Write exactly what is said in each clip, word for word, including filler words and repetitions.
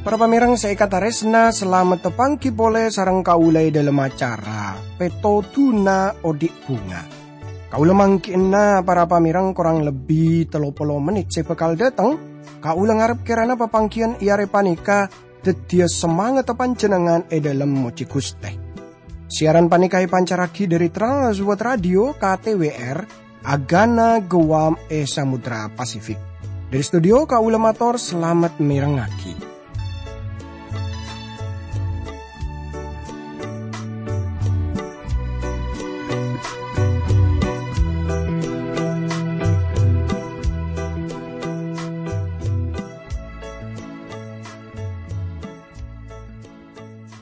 Para pamèrèng sè èkatarèsna, salamet tapangghi polè sareng kaulâ è dhâlem acara Pètodhuna Odhi' Bhunga. Kaulâ mangghi'na para pamèrèng korang lebbi tello polo mennit sè bhâkal dhâteng. Kaulâ ngarep kèrana papangghiyân è arè panèka dhâddhiyâ samangatta panjhennengngan è dhâlem mojhi Ghustè. Siaran panèka èpancarraghi dhâri Trans World Radio K T W R, Agana Guam è Samudra Pasifik. Dhâri studio kaulâ mator salamet mèrengngaghi.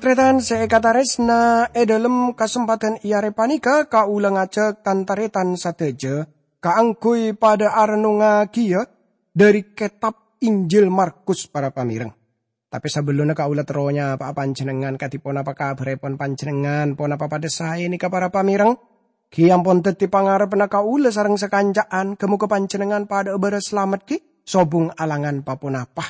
Tarètan sè èkatarèsna, è dhâlem kasempadhân è arè panèka kaulâ ngajhâk tan-tarètan sadhâjâ kaangghuy padhâ arennongngaghiyâ dhâri kètab Injil Markus, para pamèrèng. Tapè sabellunna kaulâ terro nyapa'a panjhennengngan, kadhi ponapa kabhârèpon panjhennengngan? Ponapa padhâ saè nèka, para pamèrèng? Ghi ampon dhâddhi pangarebbhânna kaulâ sareng sakanca'an, ghâ-mogâ panjhennengngan padhâ'â bârâs salamet ghi sobung alangan pa-ponapa.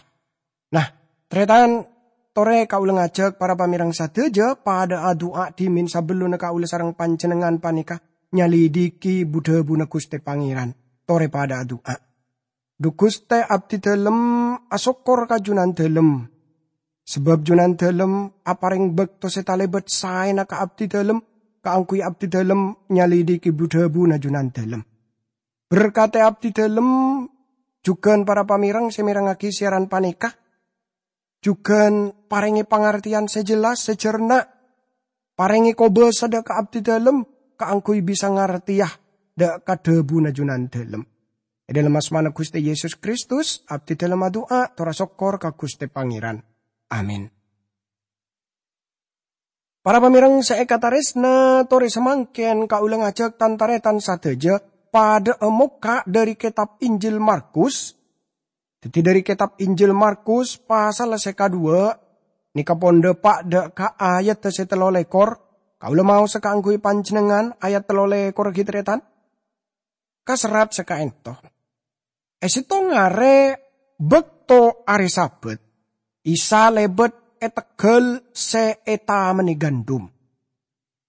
Nah, tarètan, torè kaulâ ngajhâk para pamèrèng sadhâjâ padhâ adu'a dhimèn sabellunna kaulâ sareng panjhennengngan panèka nyalidhighi bu-dhâbuna Ghustè Pangèran. Torè padhâ adu'a. Dhu Ghustè, abdhi dhâlem asokkor ka Jhunandhâlem, sabâb Jhunandhâlem aparèng bâkto sè talèbât saèna ka abdhi dhâlem kaangghuy abdhi dhâlem nyalidhighi bu-dhâbuna Jhunandhâlem. Berkatè abdhi dhâlem jhughân para pamèrèng sè mèrengngaghi siaran panèka. Jhughân parèngè pangartèyan sè jelas, sè jhârna. Parèngè kobâsa dhâ' ka abdhi dhâlem kaangghuy bisa ngartèya dhâ' ka dhâbuna Jhunandhâlem. È dhâlem asmana Ghustè Yesus Kristus, abdhi dhâlem adu'a, tor asokkor ka Ghustè Pangèran. Amin. Para pamèrèng sè èkatarèsna, torè samangkèn kaulâ ngajhâk tan-tarètan sadhâjâ padhâ'â mokka' dhâri kètab Injil Markus. Dhâddhi, dhâri kètab Injil Markus, pasal sè kaduwâ', nèka pon dhâpa' dhâ' ka ayat sè tello lèkor. Kaulâ maosa kaangghuy panjhennengngan ayat tello lèkor ghi, tarètan. Kaserrat sakaènto. È sèttong arè bâkto arè Sabat, Isa lèbât è tegghâl sè ètamennè gandum.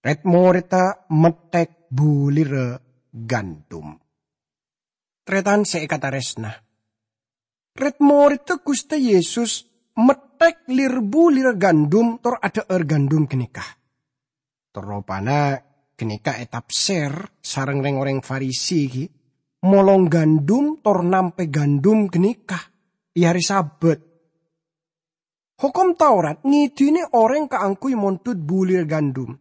Rèd-morèdda metthèk bulirra gandum. Tarètan sè èkatarèsna. Rèd-morèdda Ghustè Yesus metthèk lir-bulirra gandum tor adhâ'âr gandum ghânèka. Tor ropana ghânèka ètafsèr sareng rèng-orèng Farisi ghi, molong gandum tor nampè gandum ghânèka è arè Sabat. Hokom Taurat ngèdinè orèng kaangghuy mondhut bulir gandum.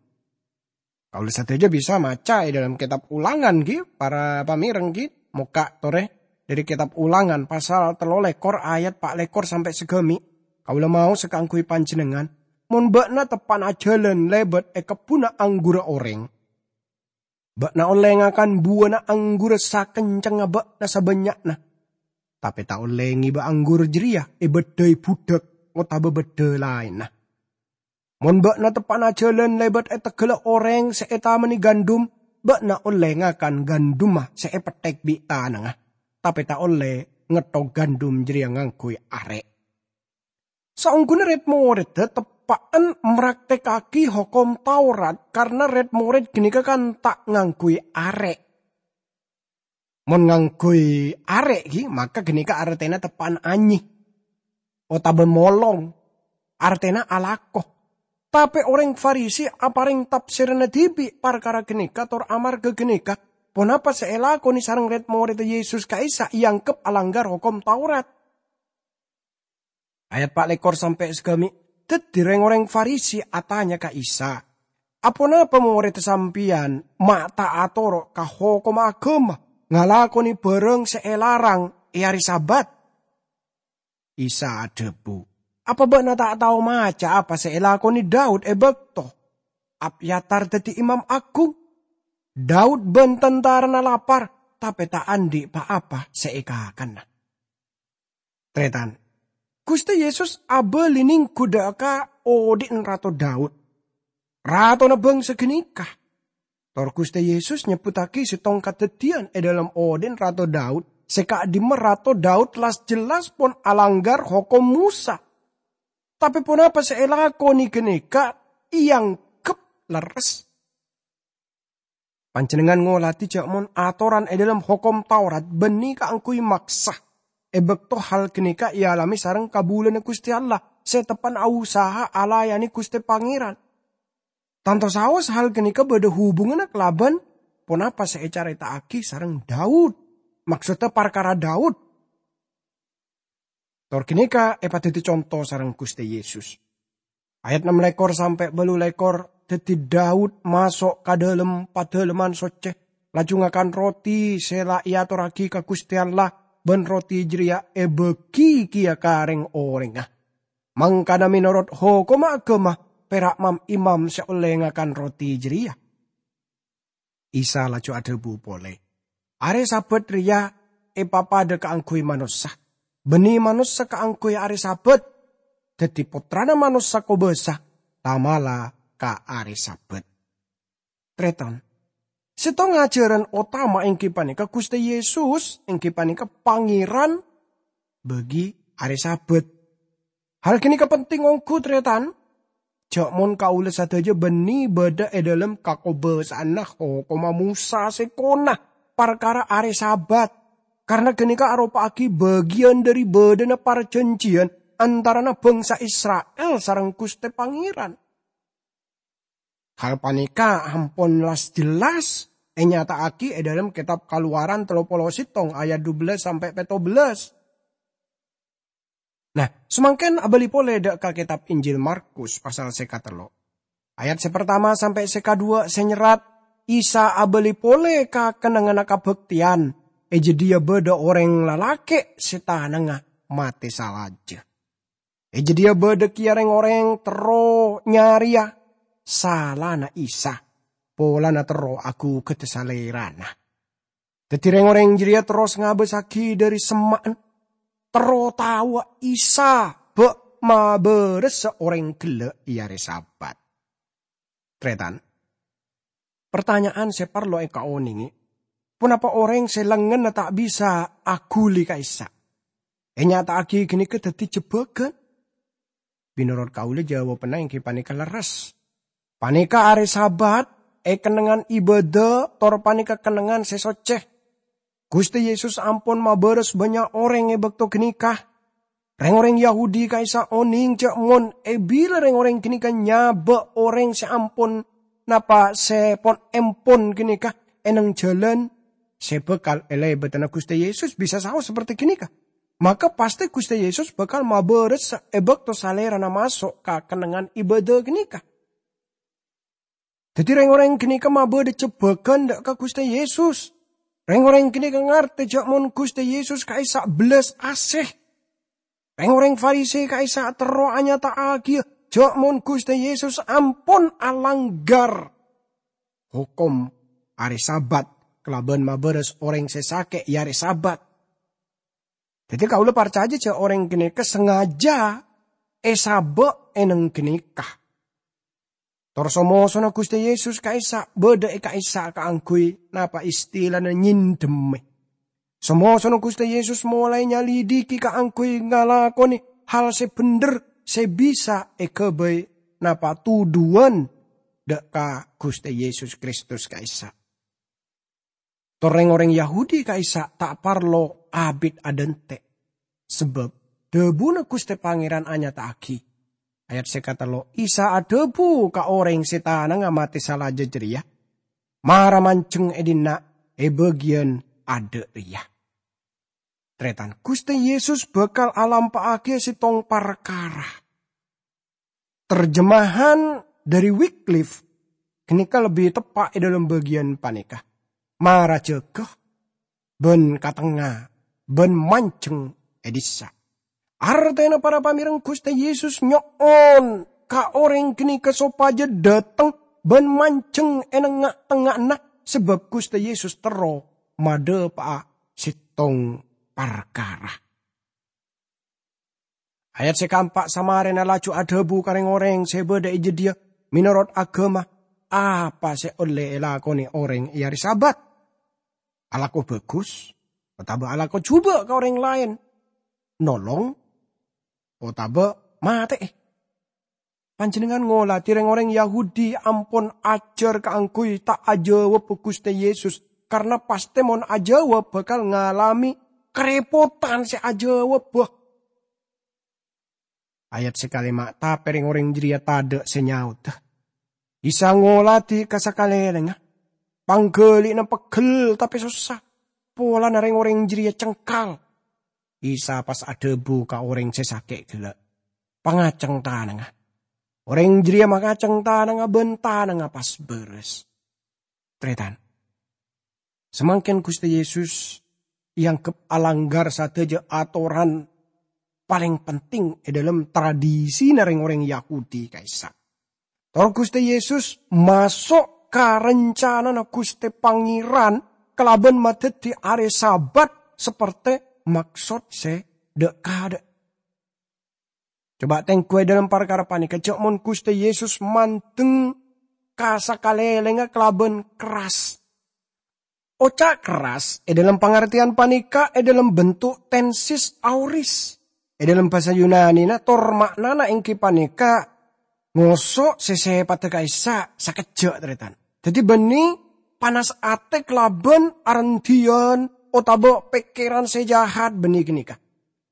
Kaulâ sadhâjâ bisa maca è dhâlem kètab Ulangan, ghi, para pamèrèng, ghi, mokka' torè dhâri kètab Ulangan pasal tello lèkor ayat pa' lèkor sampè' saghâmi'. Kaulâ maosa kaangghuy panjhennengngan, mon bâ'na teppa'na ajhâlân lèbât è kebbhunna angghurra orèng, bâ'na ollè ngakan buwâna angghurra sakencengnga bâ'na sabânnya'na, tapè ta' ollè ngèbâ angghur jârèya èbâddhâi budhâk otabâ bâddhâ laènna. Mon bâ'na teppa'na ajhâlân lèbât è tegghâlla orèng sè ètamennè gandum, bâ'na ollè ngakan gandumma sè èpetthèk bi' tanangnga, tapè ta' ollè ngetthok gandum jârèya ngangghuy arè'. Saongghuna rèd-morèdda teppa'an mraktèkkaghi Hokom Taurat, karna rèd-morèd ghânèka kan ta' ngangghuy arè'. Mon ngangghuy arè', ghi, maka ghânèka artèna teppa'an anyè otabâ molong, artèna alako. Tapè orèng Farisi aparèng tafsiranna dhibi' parkara ghânèka, tor amarghâ ghânèka, ponapa sè èlakonè sareng rèd-morèdda Yesus ka'issa' èangghep alanggar Hokom Taurat. Ayat pa' lèkor sampè' saghâmi'. Dhâddhi rèng-orèng Farisi atanya ka Isa, "Aponapa morèdda Sampèyan ma' ta' atoro' ka hokomma aghâma, ngalakonè bhârâng sè èlarang è arè Sabat?" Isa adhâbu, "Apa bâ'na ta' tao maca apa sè èlakonè Daud è bâkto Abyatar dhâddhi imam aghung? Daud bân tantarana lapar, tapè ta' andi' pa-apa sè èkakanna." Tarètan, Guste Yesus abali nenggu dha' ka odhi'na Rato Daud, ratona bangsa ganeka. Tor Guste Yesus nyebbhuttagi settong kadaddiyan e dhalem odhi'na Rato Daud, se ka'dimma Rato Daud las-jellas pon alanggar hokom Mosa. Tape ponapa se elakone ganeka eanggep lerres. Panjennengngan ngoladi ja' mon atoran e dhalem hokom Taurat banne kaangguy maksa, e bakto hal ganeka ealame sareng kabulana Guste Allah se teppa'na ausaha alayane Guste Pangeran. Tanto saos hal ganeka badha hubunganna kalaban ponapa se ecareta'agi sareng Daud, maksodda parkara Daud. Tor ganeka epadaddi conto sareng Guste Yesus. Ayat ennem lekor sampe' balu lekor daddi Daud maso' ka dhalem Padalemman Socce, laju ngakan roti se la eatorragi ka Guste Allah, ban roti jareya ebagi keya ka reng-orengnga. Mangkana menorot hokomma agama, pera' mam-imam se olle ngakan roti jareya. Isa laju adhabu pole, "Are Sabat reya epapadha kaangguy manossa, banne manossa kaangguy are Sabat. Daddi Pottrana Manossa kobasa tamala ka are Sabat." Tretan, settong ajaran otama enggi paneka Guste Yesus enggi paneka Pangeran bagi are Sabat. Hal ganeka penting onggu, tretan. Ja' mon kaula sadaja banne badha e dhalem kakobasa'anna hokomma Mosa se kona parkara are Sabat, karna ganeka aropa'agi bagiyan dhari badhana parjanjiyan antarana bangsa Isra'il sareng Guste Pangeran. Hal paneka ampon las-jellas enyata'agi e dhalem Ketab Kalowaran tello polo settong ayat dubellâs sampe' pettobellâs. Nah, samangken abali pole dha' ka Ketab Injil Markus pasal se katello. Ayat se partama sampe' se kadhuwa' se nyerrat, Isa abali pole ka kennengnganna kabakteyan. E jadhiya badha oreng lalake' se tanangnga mate salaja. E jadhiya badha keya reng-oreng terro nyareya salana Isa, polana terro agugadda Salerana. Daddi reng-oreng jareya terros ngabasagi dhari semma'an, terro taowa Isa bâ' mabarasa oreng gella' e are Sabat. Tretan, partanya'an se parlo ekaonenge, ponapa oreng se lengngenna ta' bisa aghuli ka'issa'? Enyata'agi ganeka daddi jebbagan? Menorot kaula, jawabanna enggi paneka lerres. Paneka are Sabat, e kennengngan ibadah, tor paneka kennengngan se socce. Guste Yesus ampon mabaras bannya' oreng e bakto ganeka. Reng-oreng Yahudi ka'issa' oneng ja' mon e bila reng-oreng ganeka nyaba' oreng se ampon napa se pon-empon ganeka e neng jalan, se bakal e lebatanna Guste Yesus bisa saos saperti ganeka, maka pasti Guste Yesus bakal mabaras e bakto Salerana maso' ka kennengngan ibadah ganeka. Daddi, reng-oreng ganeka mabadha jebbagan dha' ka Guste Yesus. Reng-oreng ganeka ngarte ja' mon Guste Yesus ka'issa' bellas ase. Reng-oreng Farisi ka'issa' terro anyata'agiya ja' mon Guste Yesus ampon alanggar hokom are Sabat kalaban mabaras oreng se sake' e are Sabat. Daddi, kaula parcaja ja' oreng ganeka sangaja esaba' e neng ganeka. Tor so-mosona Guste Yesus ka'issa' badha e ka'issa' kaangguy napa istilana nyendemme. So-mosona Guste Yesus molae nyalidiki kaangguy ngalakone hal se bendher se bisa egabay napa tudhuwan dha' ka Guste Yesus Kristus ka'issa'. Tor reng-oreng Yahudi ka'issa' ta' parlo abit adhante', sabab dhabuna Guste Pangeran anyata'agi. Ayat se katello, Isa adhabu ka oreng se tanangnga mate salaja jareya, "Mara manjeng e dinna' e bagiyan adha' reya." Taretan, Guste Yesus bakal alampa'agiya settong parkara. Terjemahan dhari Wycliffe ganeka lebbi teppa' e dhalem bagiyan paneka, "Mara jaga ban katengnga ban manjeng e dissa'." Artena para pamereng, Guste Yesus nyo'on ka oreng ganeka sopaja dhateng ban manjeng e nengnga'-tengnga'anna, sabab Guste Yesus terro madhapa'a settong parkara. Ayat sè kaempa' samarèna laju adhâbu ka rèng-orèng sè bâdâ è jâdiyâ, "Mènorot aghâma, apa sè ollè èlakonè orèng è arè Sabat? Alako bhâghus otabâ alako jhubâ' ka orèng laèn? Nolong otabâ matè'è?" Panjhennengngan ngolatè rèng-orèng Yahudi ampon ajhâr kaangghuy ta' ajâwâbbhâ Ghustè Yesus, karna pastè mon ajâwâb bhâkal ngalamè karèpotan sè ajâwâbbhâ. Ayat sè kalèma', tapè rèng-orèng jârèya tadâ' sè nyaodhâ. Isa ngolatè ka sakalèlèngnga. Pangghâli'na pegghel tapè sossa. Polana rèng-orèng jârèya cengkal, Isa pas adhâbu ka orèng sè sakè' ghellâ', "Pangaceng tanangnga." Orèng jârèya mangaceng tanangnga bân tanangnga pas bârâs. Tarètan, samangkèn Ghustè Yesus èangghep alanggar sadhâjâ atoran palèng penting è dhâlem tradisina rèng-orèng Yahudi ka'issa'. Tor Ghustè Yesus maso' ka rancanana Ghustè Pangèran kalabân madhâddhi arè Sabat sapertè maksod sè dâ'-kadâ'. Coba tèngghu è dhâlem parkara panèka, jhâ' mon Ghustè Yesus mandeng ka sakalèlèngnga kalabân kerras. Oca' kerras è dhâlem pangartèyan panèka è dhâlem bentuk tensis aoris. È dhâlem bhâsa Yunanina tor ma'nana èngghi panèka ngoso' sè sèpaddhâ ka'issa' sakejjhâ', tarètan. Dhâddhi bânnè panas atè kalabân arendhiyân otabâ pèkkèran sè jahat bânnè ghânèka.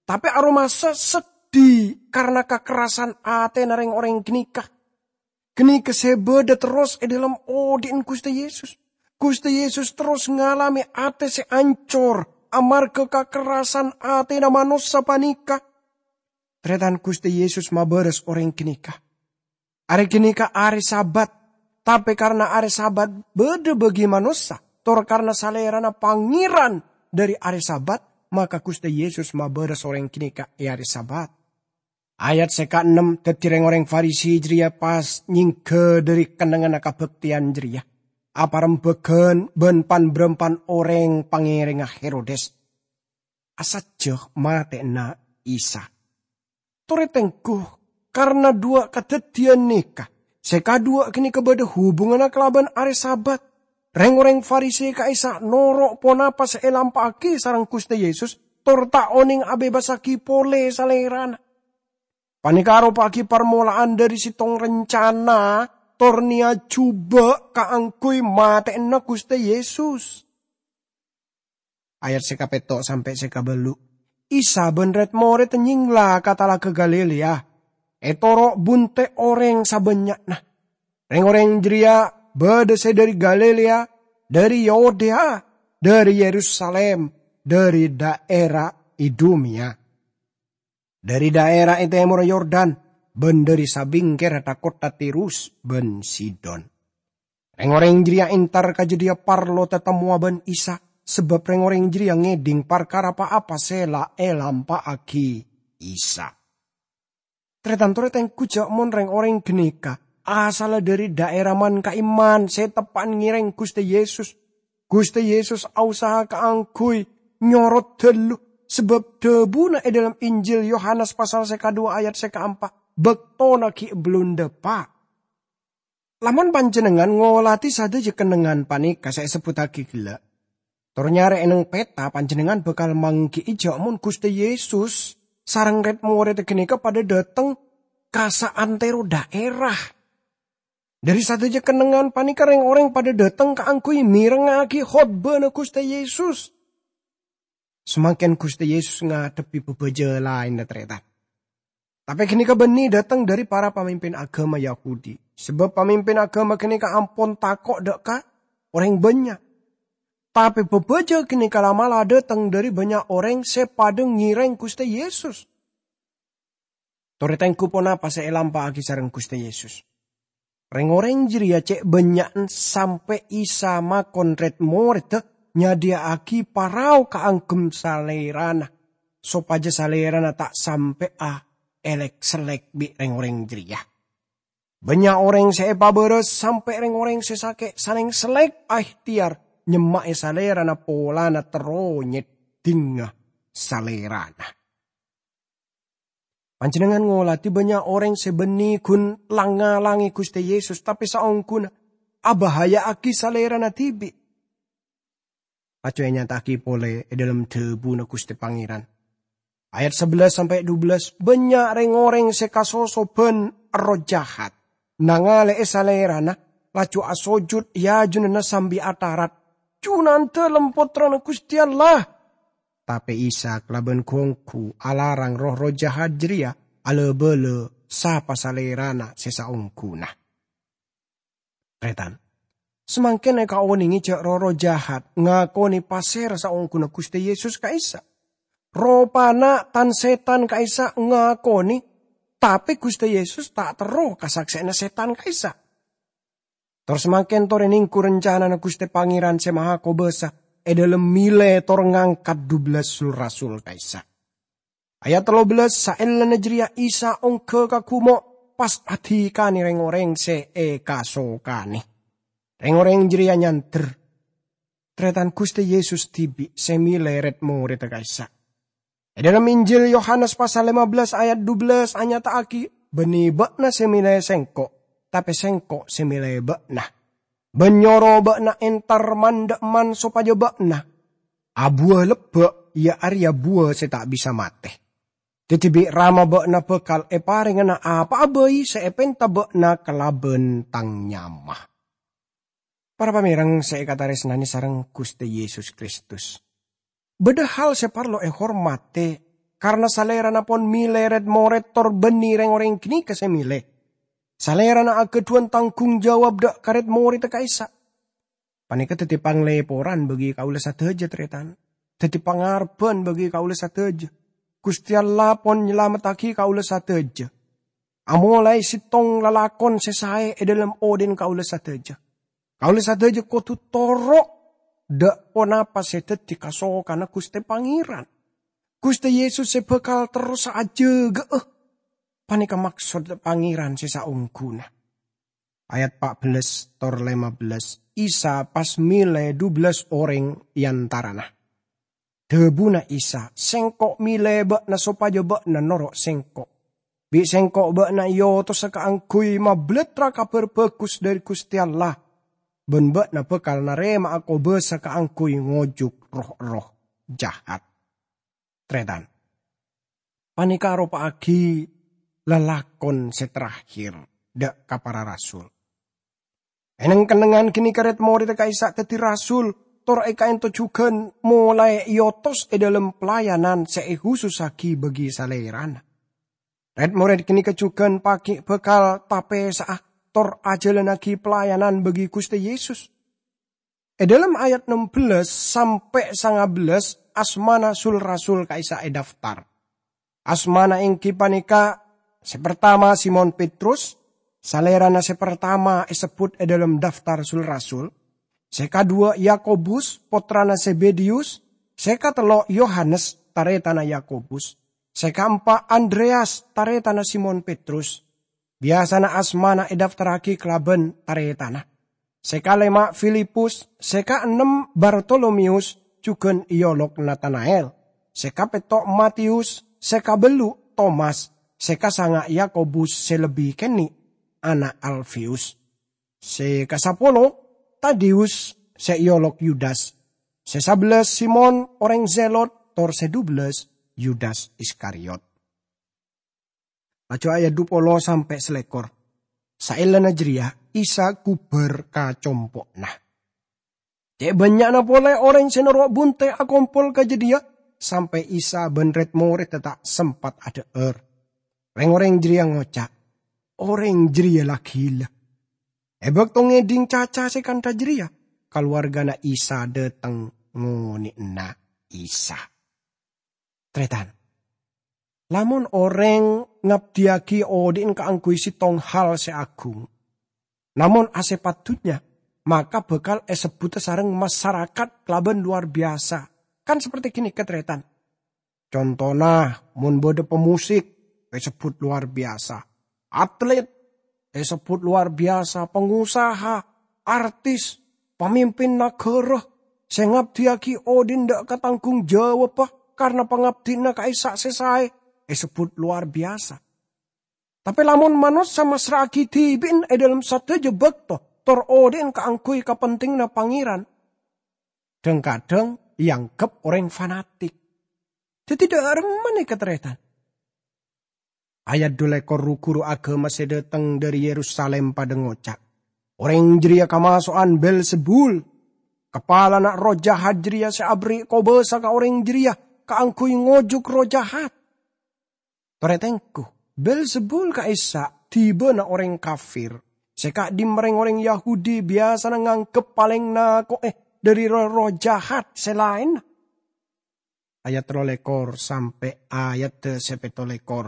Tapè aromasa seddhi karna kakerrasan atèna rèng-orèng ghânèka. Ghânèka sè bâdâ terros è dhâlem odi'na Ghustè Yesus. Ghustè Yesus terros ngalamè atè sè ancor amarghâ kakerrasan atèna manossa panèka. Tarètan, Ghustè Yesus mabârâs orèng ghânèka. Arè ghânèka arè Sabat, tapè karna arè Sabat bâdâ bagi manossa, tor karna Salèrana Pangèran dhâri arè Sabat, maka Ghustè Yesus mabârâs orèng ghânèka è arè Sabat. Ayat sè kaennem, dhâddhi rèng-orèng Farisi jârèya pas nyèngghâ dhâri kennengnganna kabhâktèyan jârèya, aparembhâghân bân pan-bârâmpan orèng pangèrèngnga Herodes, asajjhâ matè'ana Isa. Torè tèngghu, karna duwâ' kadhâddhiyân nèka, sè kaduwâ' ghânèka bâdâ hubunganna kalabân arè Sabat. Rèng-orèng Farisi ka'issa' noro' ponapa sè èlampa'aghi sareng Ghustè Yesus, tor ta' onèng abebasaghi polè Salèrana. Panèka aropa'aghi parmola'an dhâri sèttong rencana tor niyat jhubâ' kaangghuy matè'ana Ghustè Yesus. Ayat sè kapètto' sampè' sè kabâllu'. Isa bân rèd-morèdda nyèngla ka Talaga Galilea, ètoro' bunte' orèng sabânnya'na. Rèng-orèng jârèya bâdâ sè dhâri Galilea, dhâri Yudea, dhâri Yerusalim, dhâri dhaèra Idumea, dhâri dhaèra è tèmorra Yordan, bân dhâri sabingkèrra tha-kottha Tirus bân Sidon. Rèng-orèng jârèya entar ka jâdiyâ parlo tatemmowa bân Isa, sabâb rèng-orèng jârèya ngèdhing parkara pa-apa sè la èlampa'aghi Isa. Tarètan, torè tèngghu jâ' mon rèng-orèng ghânèka asalla dhâri dhaèra man-ka'imman sè teppa'na ngèrèng Ghustè Yesus. Ghustè Yesus aosaha kaangghuy nyorot dâllu, sabâb dhâbuna è dhâlem Injil Yohanes pasal sè kaduwâ ayat sè kaempa', "Bâktona ghi' bellun dâpa'." Lamon panjhennengngan ngolatè sadhâjâ kennengngan panèka sè èsebbhuttaghi ghellâ', tor nyarè è neng peta, panjhennengngan bhâkal mangghi'i jâ' mon Ghustè Yesus sareng rèd-morèdda ghânèka padâ dâteng ka saantèro dhaèra. Dhâri sadhâjâ kennengngan panèka rèng-orèng padâ dâteng kaangghuy mèrengngaghi khotbana Ghustè Yesus. Samangkèn Ghustè Yesus ngadhebbhi bhâbhâjâ laènna, tarètan. Tapè ghânèka bânnè dâteng dhâri para pamimpin aghâma Yahudi, sabâb pamimpin aghâma ghânèka ampon tako' dâ' ka orèng bânnya'. Tapè bhâbhâjâ ghânèka la'-mala' dâteng dhâri bânnya' orèng sè padâ ngèrèng Ghustè Yesus. Torè tèngghu ponapa sè èlampa'aghi sareng Ghustè Yesus. Rèng-orèng jârèya cè' bânnya'na sampè' Isa makon rèd-morèdda nyadhiyâ'aghi parao kaangghuy Salèrana, sopajâ Salèrana ta' sampè'a èlèk-sellèk bi' rèng-orèng jârèya. Bânnya' orèng sè èpabârâs sampè' rèng-orèng sè sakè' salèng-sellèk aèhtèyar nyemma'è Salèrana polana terro nyèddhingnga Salèrana. Panjhennengngan ngolatè bânnya' orèng sè bânnè ghun lang-ngalangè Ghustè Yesus, tapè saongghuna abhâhâjâ'âghi salèrana dhibi'. Laju ènyata'aghi polè è dhâlem dhâbuna Ghustè Pangèran. Ayat sabellâs sampè' dubellâs, bânnya' rèng-orèng sè kasosobhân erroh jahat, nangalè'è salèrana, laju asojud è ajunanna sambi atarat, "Junandalem Pottrana Ghustè Allah!" Tapè Isa kalabân ghu-ongghu alarang roh-erroh jahat jârèya alabâlâ sapa salèrana sè saongghuna. Tarètan, samangkèn èkaonèngè jâ' roh-erroh jahat ngakonè pasèra saongghuna Ghustè Yesus ka'issa'. Ropana tan-sètan ka'issa' ngakonè, tapè Ghustè Yesus ta' terro kasaksè'anna sètan ka'issa'. Tor samangkèn torè nèngghu rancanana Ghustè Pangèran Sè Mahakobâsa è dhâlem mèlè tor ngangkat dubellâs sul-rasul ka'issa'. Ayat tello bellâs, saellana jârèya Isa ongghâ ka ghumo', pas adhikanè rèng-orèng sè èkasokanè. Rèng-orèng jârèya nyandher, "Tarètan Ghustè Yesus dhibi' sè mèlè rèd-morèdda ka'issa'." È dhâlem Injil Yohanes pasal lèma bellâs ayat dubellâs anyata'aghi, "Bânnè bâ'na sè mèlè Sèngko', tapè Sèngko' sè mèlè bâ'na. Bân nyoro bâ'na entar man-dhâ'emman sopajâ bâ'na abuwâ lebbâ', iyâ arèya buwâ sè ta' bisa matè. Dhâddhi bi' Rama bâ'na bhâkal èparèngana apa'a bhâi sè èpènta bâ'na kalabân Tang nyama." Para pamèreng sè èkatarèsnanè sareng Ghustè Yesus Kristus, bâdâ hal sè parlo èhormatè, karna Salèrana pon mèlè rèd-morèd tor bânnè rèng-orèng ghânèka sè mèlè. Salèrana aghâdhuwân tanggung jawab dâ' ka rèd-morèdda ka'issa'. Panèka dhâddhi panglèporan bagi kaulâ sadhâjâ, tarètan. Dhâddhi pangarebbhân bagi kaulâ sadhâjâ. Ghustè Allah pon nyalamettaghi kaulâ sadhâjâ. Amolaè sèttong lalakon sè saè è dhâlem odhi'na kaulâ sadhâjâ. Kaulâ sadhâjâ kodhu toro' dâ' ponapa sè dhâddhi kasokanna Ghustè Pangèran. Ghustè Yesus sè bhâkal terrosa ajâgâ'â. Panèka maksod Pangèran sè saongghuna. Ayat pa' bellâs tor lèma bellâs, Isa pas mèlè dubellâs orèng è antarana. Dhâbuna Isa, "Sèngko' mèlè bâ'na sopajâ bâ'na noro' Sèngko'. Bi' Sèngko' bâ'na èotosa kaangghuy mabâlâtra Kabhâr Bhâghus dhâri Ghustè Allah, bân bâ'na bhâkal narèma'a kobâsa kaangghuy ngojuk roh-erroh jahat." Tarètan, panèka aropa'aghi lalakon sè terakhir dâ' ka para rasul. È neng-kennengngan ghânèka rèd-morèdda ka'issa' dhâddhi rasul, tor èkaènto jhughân molaè èotos è dhâlem pelayanan sè èhusussaghi bagi Salèrana. Rèd-morèd ghânèka jhughân paghi' bhâkal tapèsa'a tor ajhâlannaghi pelayanan bagi Ghustè Yesus. È dhâlem ayat nem bellâs sampè' sanga bellâs, asmana sul-rasul ka'issa' èdaftar. Asmana èngghi panèka, sè partama Simon Petrus, salèrana sè partama èsebbhut è dhâlem daftar sul-rasul, sè kaduwâ' Yakobus, pottrana Zebedeyus, sè katello' Yohanes, tarètanna Yakobus, sè kaempa' Andreyas, tarètanna Simon Petrus. Biyasana asmana èdaftarraghi kalabân tarètanna. Sè kalèma' Filipus, sè kaennem Bartolomeyus, jhughân èolok Natana'el, sè kapètto' Mateyus, sè kabellu' Tomas, sè kasanga' Yakobus sè lebbi kènè', ana' Alfeyus, sè kasapolo Tadeyus sè èolok Yudas, sè sabellâs Simon orèng Zelot, tor sè dubellâs Yudas Iskariot. Laju ayat dhu polo sampè' salèkor. Saellana jârèya, Isa ghubâr ka compo'na. Cè' bânnya'na polè orèng sè noro' bunte' akompol ka jâdiyâ, sampè' Isa bân rèd-morèdda ta' sempat adhâ'âr. Rèng-orèng jârèya ngoca', "Orèng jârèya la ghilâ." È bâkto ngèdhing caca sè kantha jârèya, kalowargana Isa dâteng ngonè'ana Isa. Tarètan, lamon orèng ngabdiyâghi odhi'na kaangghuy sèttong hal sè agung, namong asèpat dhunnya, maka bhâkal èsebbhudhâ sareng masarakat kalabân lowar biyasa. Kan saperti ghânèka, tarètan. Contona, mon bâdâ pemusik, èsebbhut lowar biyasa. Atlet, èsebbhut lowar biyasa. Pangosaha, artis, pamimpin naghârâ, sè ngabdiyâghi odhi'na dâ' ka tanggung jawabbhâ karna pangabdina ka'issa' sè saè, èsebbhut lowar biyasa. Tapè lamon manossa massra'aghi dhibi'na è dhâlem sadhâjâ bâkto tor odhi'na kaangghuy kapentinganna Pangèran, dhâng-kadhâng èangghep orèng fanatik. Dhâddhi dhâ' remma nèka, tarètan? Ayat dhu lèkor, ru-ghuru aghâma sè dhâteng dhâri Yerusalim padhâ ngoca', "Orèng jârèya kamaso'an Belzebul, kapalana erroh jahat jârèya sè aberri' kobâsa ka orèng jârèya kaangghuy ngojhuk erroh jahat." Torè tengghu, Belzebul ka'issa' dhibâna orèng kafir, sè ka'dhimma rèng-orèng Yahudi biyasana nganggep palèng nako'è dhâri roh-erroh jahat sè laènna. Ayat tello lèkor sampè' ayat sè pètto lèkor.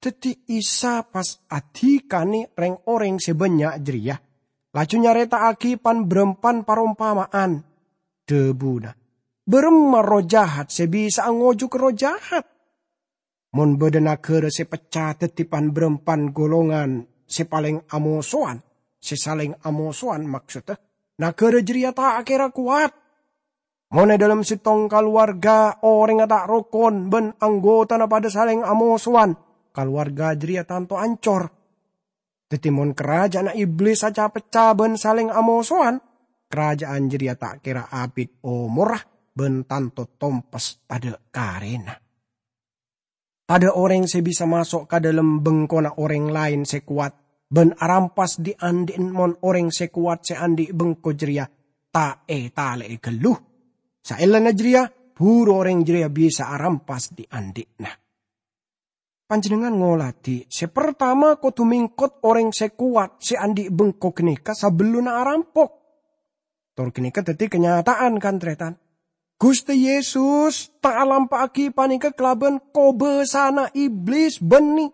Dhâddhi Isa pas adhikanè rèng-orèng sè bânnya' jârèya, laju nyarèta'aghi pan-bârâmpan parompama'an. Dhâbuna, "Bârâmma erroh jahat sè bisa'a ngojhuk erroh jahat? Mon bâdâ naghârâ sè pecca dhâddhi pan-bârâmpan golongan sè palèng amosowan, sè salèng amosowan, maksodda, naghârâ jârèya ta' kèra kowat. Mon è dhâlem sèttong kalowarga orèngnga ta' rokon bân anggotana padhâ salèng amosowan, kalowarga jârèya tanto ancor. Dhâddhi, mon karaja'anna Iblis aca-pecca bân salèng amosowan, karaja'an jârèya ta' kèra abit omorra bân tanto tompes tadhâ' karèna." Tadhâ' orèng sè bisa maso' ka dhâlem bengkona orèng laèn sè kowat bân arampas dhi'-andhi'na mon orèng sè kowat sè andi' bengko jârèya ta' ètalè'è ghâllu. Saellana jârèya, buru orèng jârèya bisa arampas dhi'-andhi'na. Panjhennengngan ngoladhi, sè partama kodhu mèngkot orèng sè kowat sè andi' bengko ghânèka sabellunna arampok. Tor ghânèka dhâddhi kanyata'an, kan, tarètan? Ghustè Yesus ta' alampa'aghi panèka kalabân kobâsana Iblis bânnè.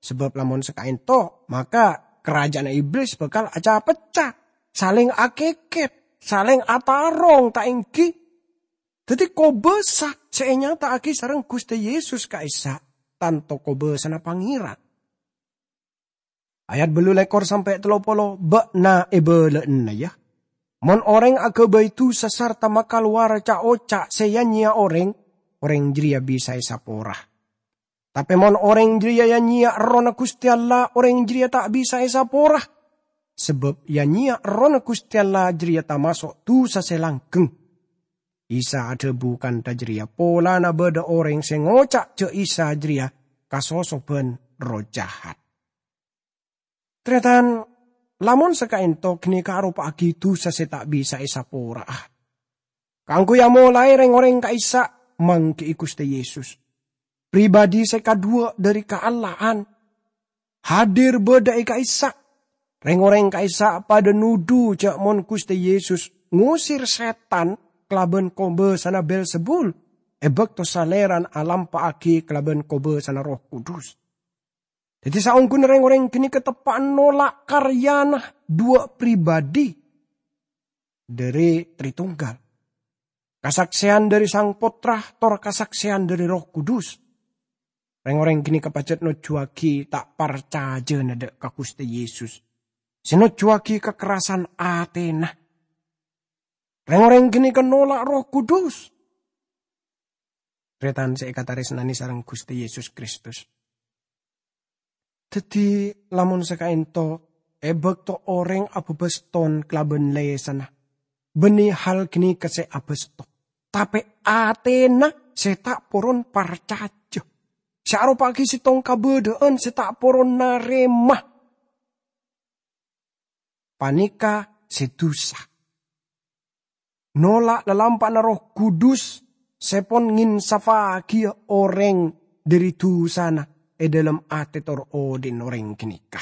Sabâb lamon saka'ènto, maka karaja'anna Iblis bhâkal aca-pecca, salèng akèkèt, salèng atarong, ta' ènggi? Dhâddhi, kobâsa sè ènyata'aghi sareng Ghustè Yesus ka'issa' tanto kobâsana Pangèran. Ayat bâllu lèkor sampè' tello polo, "Bâ'na èbâlâ'âna, yâ. Mon orèng aghâbây dhusa sarta makalowar ca'-oca' sè ya-nyèya orèng, orèng jârèya bisa èsapora. Tapè mon orèng jârèya ya-nyèya Errohna Ghustè Allah, orèng jârèya ta' bisa èsapora. Sabâb ya-nyèya Errohna Ghustè Allah jârèya tamaso' dhusa sè langghâng." Isa adhâbu kantha jârèya polana bâdâ orèng sè ngoca' jâ' Isa jârèya kasosobhân erroh jahat. Tarètan, lamon saka'ènto ghânèka aropa'aghi dhusa sè ta' bisa èsapora'a. Kaangghuy amolaè rèng-orèng ka'issa' mangghi'i Ghustè Yesus, pribadi sè kadhuwâ' dhâri kaallahan, hadir bâdâ è ka'issa'. Rèng-orèng ka'issa' padâ nodhu jâ' mon Ghustè Yesus ngosèr sètan kalabân kobâsana Belzebul, è bâkto Salèrana alampa'aghi kalabân kobâsana Erroh Kudus. Dhâddhi, saongghuna rèng-orèng ghânèka teppa'na nola' karyana dhuwâ' pribadi dhâri Tritunggal, kasaksèyan dhâri Sang Pottra, tor kasaksèyan dhâri Erroh Kudus. Rèng-orèng ghânèka pajhât nojjhuwâghi ta' parcajâna dâ' ka Ghustè Yesus, sè nojjhuwâghi kakerrasan atèna. Rèng-orèng ghânèka nola' Erroh Kudus. Tarètan sè èkatarèsnanè sareng Ghustè Yesus Kristus. Dhâddhi, lamon saka'ènto, è bâkto orèng abâbâs ton kalabân lèsanna, bânnè hal ghânèka sè abâs ton, tapè atèna sè ta' poron parcajâ, sè aropa'aghi sèttong kabâdâ'ân sè ta' poron narèma, panèka sè dhusa. Nola' lalampa'na Erroh Kudus sè pon ngènsafaghi orèng dhâri dhusana è dhâlem atè tor odhi'na orèng ghânèka.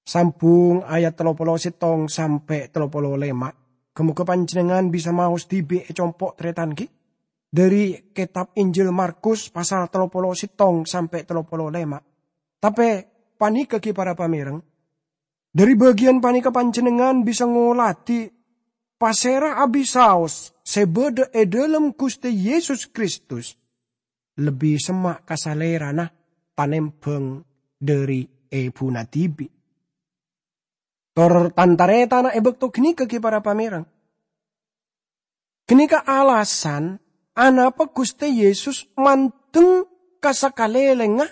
Sambung ayat tello polo sèttong sampè' tello polo lèma'. Ghâ-moghâ panjhennengngan bisa maos dhibi' è compo' tarètan ghi, dhâri kètab Injil Markus pasal tello polo sèttong sampè' tello polo lèma'. Tapè panèka ghi para pamèreng, dhâri bâgiyân panèka panjhennengngan bisa ngoladhi pasèra abisaos sè bâdâ è dhâlem Ghustè Yesus Kristus, lebbi semma' ka Salèrana tanèmbhâng dhâri èbhuna dhibi'. Tor tan-tarètanna è bâkto ghânèka ghi para pamèreng. Ghânèka alasan anapa Ghustè Yesus mandeng ka sakalèlèngnga,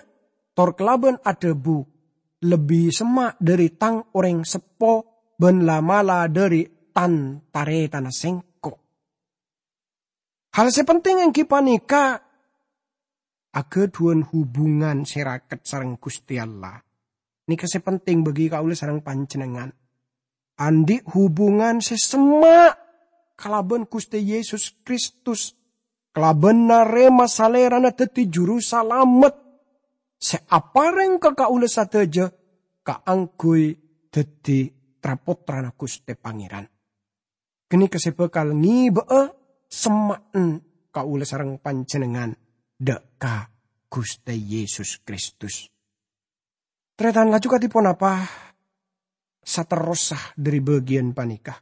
tor kalabân adhâbu, "Lebbi semma' dhâri tang orèng seppo bân la'-mala' dhâri tan-tarètanna sèngko'." Hal sè penting èngghi panèka aghâdhuwân hubungan sè raket sareng Ghustè Allah. Nèka sè penting bagi kaulâ sareng panjhennengngan. Andi' hubungan sè semma' kalabân Ghustè Yesus Kristus, kalabân narèma Salèrana dhâddhi Juru Salamet sè aparèng ka kaulâ sadhâjâ kaangghuy dhâddhi tra-pottrana Ghustè Pangèran. Ghânèka sè bhâkal ngèbâ'â semma'en kaulâ sareng panjhennengngan dhâ' ka Ghustè Yesus Kristus. Tarètan laju kadhi ponapa saterrossa dhâri bâgiyân panèka?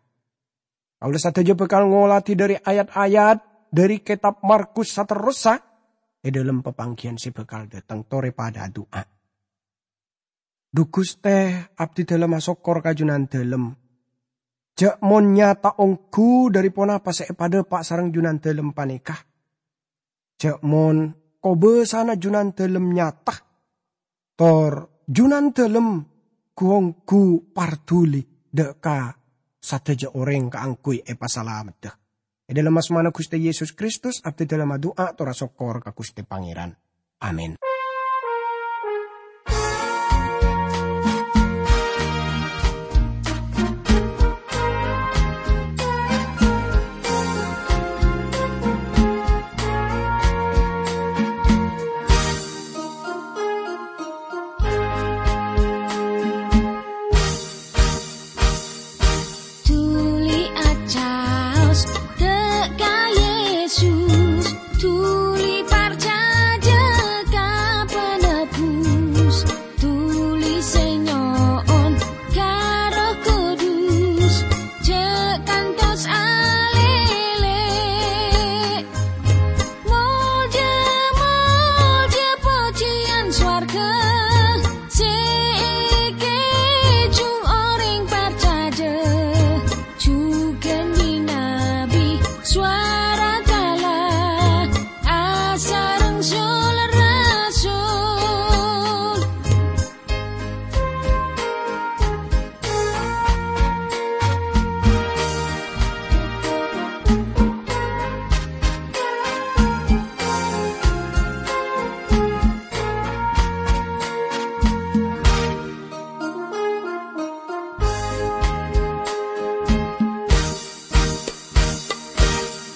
Kaulâ sadhâjâ bhâkal ngolatè dhâri ayat-ayat dhâri Kètab Markus saterrossa è dhâlem papangghiyân sè bhâkal dhâteng. Torè padâ adu'a. Dhu Ghustè, abdhi dhâlem asokkor ka Jhunandhâlem. Jhâ' mon nyata ongghu dhâri ponapa sè èpadhâpa' sareng Jhunandhâlem panèka. Jhâ' mon kobâsana Jhunandhâlem nyata, tor Jhunandhâlem ghu-ongghu parduli dhâ' ka sadhâjâ orèng kaangghuy èpasalameddhâ. È dhâlem asmana Ghustè Yesus Kristus, abdhi dhâlem adu'a tor asokkor ka Ghustè Pangèran. Amin. Dhuli acaos dhâ' ka Yesus, dhuli parcajâ ka Penebus, dhuli sè nyo'on ka Erroh Kudus, jhâ' kantos alèlè. Molja, molja, pojhiyân sowarghâ sè èkèjhung orèng parcajâ, jhughân bi-nabi sowara kala asareng sul-rasul.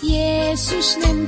Yesus neng